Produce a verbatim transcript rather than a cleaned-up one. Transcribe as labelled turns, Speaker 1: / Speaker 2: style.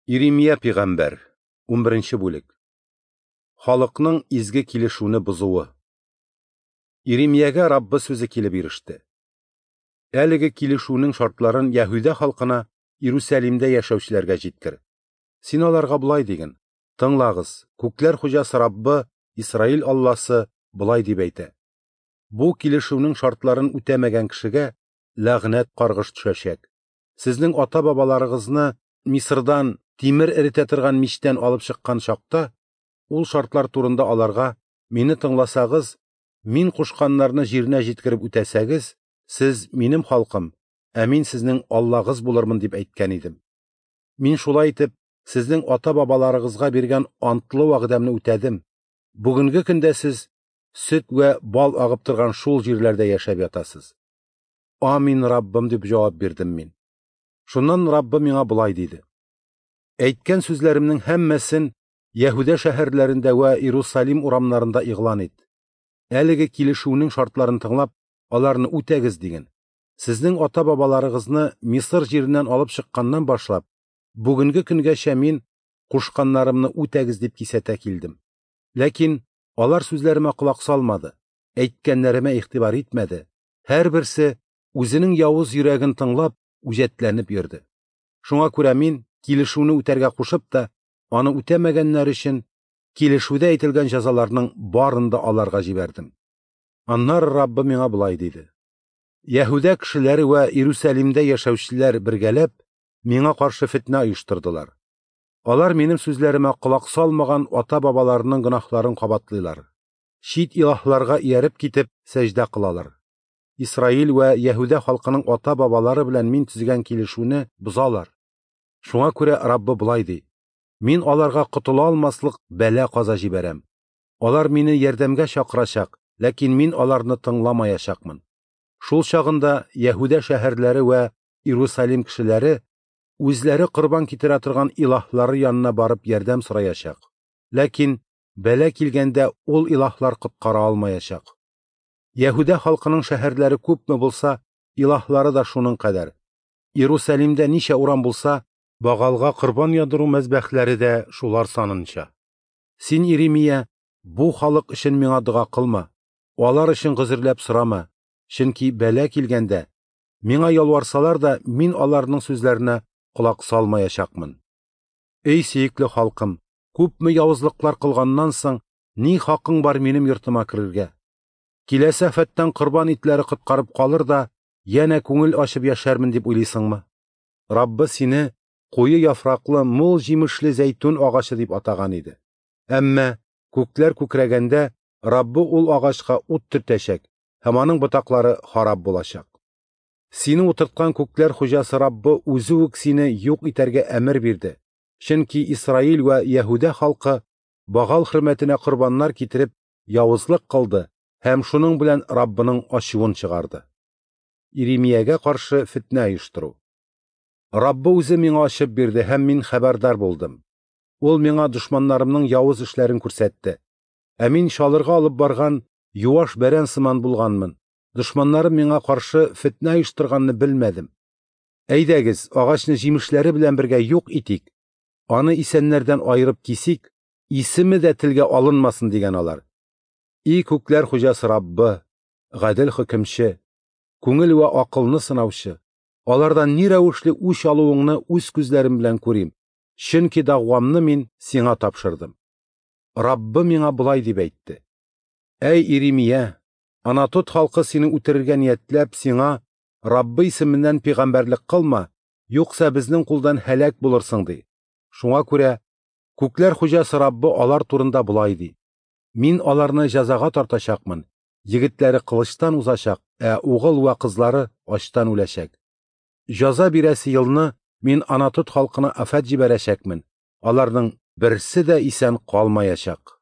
Speaker 1: Иремия пәйгамбәр, унберенче бүлек. Халыкның изге килешүне бозуы. Иремиягә Раббы сүзе килеп иреште. Әлеге килешүнең шартларын Яһүдә халкына Иерусалимдә яшәүчеләргә җиткер. Син аларга болай диген: Тыңлагыз, күкләр хуҗасы Раббы, Исраил Алласы болай дип әйтә: Бу килешүнең шартларын үтәмәгән кешегә ләгънәт каргыш төшәчәк. Сезнең ата-бабаларыгызны Мисырдан тимер эретә торган мичтән алып чыккан чакта, ул шартлар турында аларга: «Мине тыңласагыз, мин кушканнарны җиренә җиткереп үтәсәгез, сез минем халкым, ә мин сезнең Аллагыз булырмын», дип әйткән идем. Мин шулай итеп сезнең ата-бабаларыгызга биргән антлы вәгъдәмне үтәдем. Бүгенге көндә сез сөт вә бал агып торган шул җирләрдә яшәп ятасыз. Амин, Раббым, дип җавап бирдем мин. Шуннан Раббы миңа болай диде: Әйткән сүзләремнең һәммәсен Яһүдә шәһәрләрендә вә Иерусалим урамнарында игълан ит. Әлеге килешүнең шартларын тыңлап, аларны үтәгез диген. Сезнең ата-бабаларыгызны Мисыр җиреннән алып чыкканнан башлап, бүгенге көнгәчә мин кушканнарымны үтәгез дип кисәтә килдем. Ләкин алар сүзләремә колак салмады, әйткәннәремә игътибар итмәде. Һәрберсе үзенең явыз йөрәген тыңлап, үҗәтләнеп йөрде. Шуңа күрә мин килешүне үтәргә кушып та, аны үтәмәгәннәр өчен килешүдә әйтелгән җәзаларның барын да аларга җибәрдем. Аннары Раббы миңа болай диде: Яһүдә кешеләре вә Иерусалимдә яшәүчеләр бергәләп миңа каршы фетнә оештырдылар. Алар минем сүзләремә колак салмаган ата-бабаларының гөнаһларын кабатлыйлар. Чит илаһларга ияреп китеп сәҗдә кылалар. Исраил вә Яһүдә халкының ата-бабалары белән мин төзегән килешүне бозалар. Шуңа күрә Раббы болай ди: Мин аларга котыла алмаслык бәла каза җибәрәм. Алар мине ярдәмгә чакырачак, ләкин мин аларны тыңламаячакмын. Шул чагында Яһүдә шәһәрләре вә Иерусалим кешеләре үзләре корбан китерә торган илаһлары янына барып ярдәм сораячак. Ләкин бәла килгәндә ул илаһлар коткара алмаячак. Яһүдә халкының шәһәрләре күпме булса, илаһлары да шуның кадәр. Иерусалимдә ничә урам булса, Багалга корбан яндыру мәзбәхләре дә шулар санынча. Син, Иремия, бу халык өчен миңа дога кылма, алар өчен гозерләп сорама, чөнки бәла килгәндә миңа ялварсалар да, мин аларның сүзләренә колак салмаячакмын. Эй сөекле халкым, күпме явызлыклар кылганнан соң, ни хакың бар минем йортыма керергә? Киләсе афәттән корбан итләре коткарып калыр да, янә күңел ачып яшәрмен дип уйлыйсыңмы? Раббы сине куе яфраклы, мул җимешле зәйтүн агачы дип атаган иде. Әмма күкләр күкрәгәндә Раббы ул агачка ут төртәчәк һәм аның ботаклары харап булачак. Сине утырткан күкләр хуҗасы Раббы үзе үк сине юк итәргә әмер бирде. Чөнки Исраил вә Яһүдә халкы Багал хөрмәтенә корбаннар китереп явызлык кылды һәм шуның белән Раббының ачуын чыгарды. Иремиягә каршы фетнә оештыру. Раббы үзе миңа ачып бирде һәм мин хәбәрдар булдым. Ул миңа дошманнарымның явыз эшләрен күрсәтте. Ә мин чалырга алып барган юаш бәрән сыман булганмын. Дошманнарым миңа каршы фетнә оештырганны белмәдем. Әйдәгез, агачны җимешләре белән бергә юк итик, аны исәннәрдән аерып кисик, исеме дә телгә алынмасын, дигән алар. И күкләр хуҗасы Раббы, гадел хөкемче, күңел вә акылны сынаучы, алардан ни рәвешле үч алуыңны үз күзләрем белән күрим, чөнки дәгъвамны мин сиңа тапшырдым. Раббы миңа болай дип әйтте: Әй Иремия, Анатот халкы сине үтерергә ниятләп, сиңа Раббы исеменнән пәйгамбәрлек кылма, юкса безнең кулдан һәлак булырсың, ди. Шуңа күрә күкләр хуҗасы Раббы алар турында болай ди: Мин аларны җәзага тартачакмын, егетләре кылычтан узачак, ә угыл вә кызлары ачтан үләчәк. Җәза бирәсе елны мин Анатот халкына афәт җибәрәчәкмен, аларның берсе дә исән калмаячак.